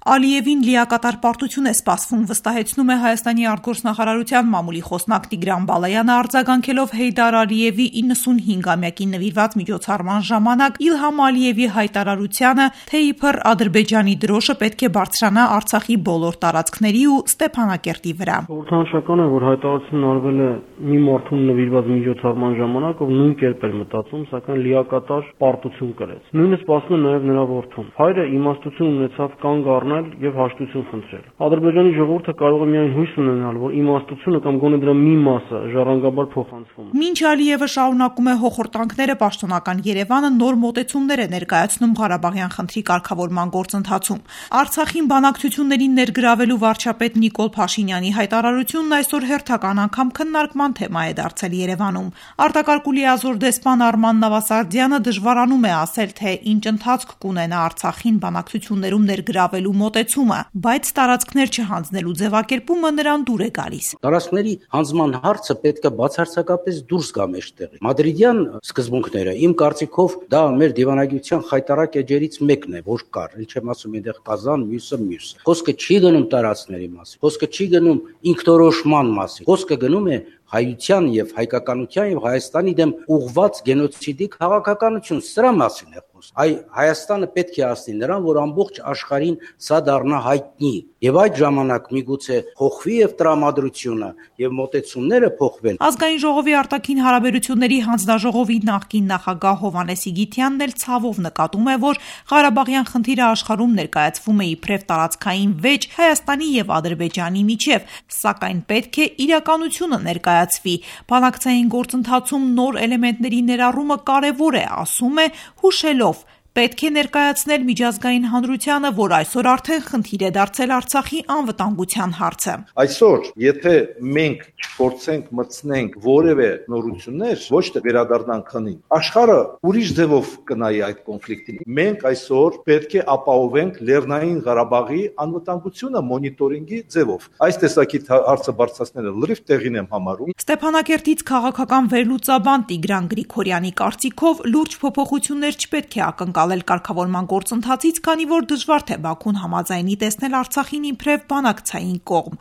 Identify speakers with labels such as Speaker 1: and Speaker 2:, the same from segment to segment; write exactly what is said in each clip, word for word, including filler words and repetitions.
Speaker 1: Ալիևին լիակատար պարտություն է սպասվում, վստահեցնում է Հայաստանի արտգործնախարարության մամուլի խոսնակ Տիգրան Բալայանը, արձագանքելով Հեյդար Ալիևի իննսունհինգամյակին նվիրված միջոցառման ժամանակ Իլհամ Ալիևի հայտարարությանը, թե իբր Ադրբեջանի դրոշը պետք է բարձրանա Արցախի բոլոր տարածքների ու Ստեփանակերտի վրա։
Speaker 2: Խորհրդանշական է, որ հայտարարությունն արվել է մի մարդուն նվիրված միջոցառման ժամանակ, ով նույն կերպ էր մտածում, սակայն լիակատար պարտություն կրեց։ Նույնը սպասում է նաև նրա որդուն։ Հայրը իմաստություն ունեցավ կանգ առնել եւ հաշտություն խնդրել։ Ադրբեջանի ժողովուրդը կարող է միայն հույս ունենալ, որ իմաստությունը կամ գոնե դրա մի մասը ժառանգաբար փոխանցվում է։
Speaker 1: Մինչ Ալիևը շարունակում է հոխորտանքները, պաշտոնական Երևանը նոր մոտեցումներ է ներկայացնում Ղարաբաղյան խնդրի կարգավորման գործընթացում։ Արցախին բանակցություններին ներգրավելու վարչապետ Նիկոլ Փաշինյանի հայտարարությունն այսօր հերթական անգամ քննարկման թեմա է դարձել Երևանում։ Արտակարգ ու լիազոր դեսպան Արման Նավասարդյանը դժվարանում է ասել, թե ինչ ընթացք կունենա Արցախին բանակցություններում ներգրավելու մոտեցումը, բայց տարածքներ չհանձնելու ձևակերպումը նրան դուր է գալիս։
Speaker 3: Տարածքների հանձնման հարցը պետք է բացարձակապես դուրս գա մեջտեղից։ Մադրիդյան սկզբունքները իմ կարծիքով դա մեր դիվանագիտության խայտարակ էջերից մեկն է, որ կար, ինչ եմ ասում, այնտեղ Կազան, մյուսը մյուս։ Խոսքը չի գնում տարածքների մասին, խոսքը չի գնում ինքնորոշման մասին, խոսքը գնում է հայության եւ հայկականության եւ Հայաստանի դեմ ուղղված գենոցիդի քաղաքականություն, սրա մասին է խոսքը։ Այ Հայաստանը պետք է ասի նրան, որ ամբողջ աշխարհին սա դառնա հայտնի, եւ այդ ժամանակ միգուցե փոխվի եւ տրամադրությունը եւ մոտեցումները փոխվեն։
Speaker 1: Ազգային ժողովի արտաքին հարաբերությունների հանձնաժողովի նախկին նախագահ Հովհաննես Իգիթյանն էլ ցավով նկատում է, որ Ղարաբաղյան խնդիրը աշխարհում ներկայացվում է իբրև տարածքային վեճ Հայաստանի եւ Ադրբեջանի միջև, սակայն պետք է իրականությունը ներկայացվի։ Բանակցային գործընթացում նոր էլեմենտների ներառումը կարևոր է, ասում է, հուշելով. Պետք է ներկայացնել միջազգային հանրությանը, որ այսօր արդեն խնդիր է դարձել Արցախի անվտանգության հարցը։
Speaker 4: Այսօր, եթե մենք չփորձենք մտցնենք որևէ նորություններ, ոչ թե վերադառնանք քնին, աշխարհը ուրիշ ձևով կնայի այդ կոնֆլիկտին։ Մենք այսօր պետք է ապահովենք Լեռնային Ղարաբաղի անվտանգությունը մոնիտորինգի ձևով։ Այս տեսակի հարցը բարձրացնելը լրիվ տեղին եմ համարում։
Speaker 1: Ստեփանակերտից քաղաքական վերլուծաբան Տիգրան Գրիգորյանի կարծիքով լուրջ փոփոխություններ չպետք է ակնկալել կարգավորման գործընթացից, քանի որ դժվար թե Բաքուն համաձայնի տեսնել Արցախին իբրև բանակցային կողմ։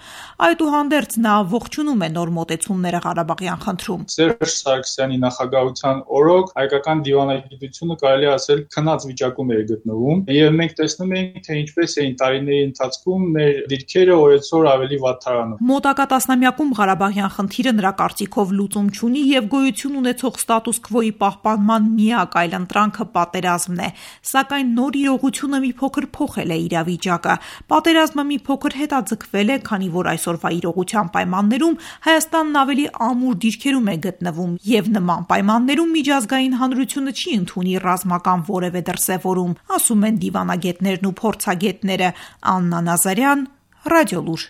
Speaker 1: Այդուհանդերձ նա ողջունում է նոր մոտեցումները Ղարաբաղյան խնդրում։
Speaker 5: Սերժ Սարգսյանի նախագահության օրոք հայկական դիվանագիտությունը կարելի ասել քնած վիճակում է գտնվում, եւ մենք տեսնում ենք, թե ինչպես էին տարիների ընթացքում մեր դիրքերը օրեցօր ավելի վատթարանում։
Speaker 1: Մոտակա տասնամյակում Ղարաբաղյան խնդիրը նրա կարծիքով լուծում չունի եւ գոյություն ունեցող ստատուս քվոյի պահպանման միակ այլընտրանքը պատերազմն է, սակայն նոր իրողությունը մի փոքր փոխել է իրավիճակը։ Պատերազմը մի փոքր հետաձգվել է, քանի որ այսօրվա իրողության պայմաններում Հայաստանն ավելի ամուր դիրքերում է գտնվում եւ նման պայմաններում միջազգային հանրությունը չի ընդունի ռազմական որևէ դրսևորում, ասում են դիվանագետներն ու փորձագետները։ Աննա Նազարյան, Ռադիոլուր։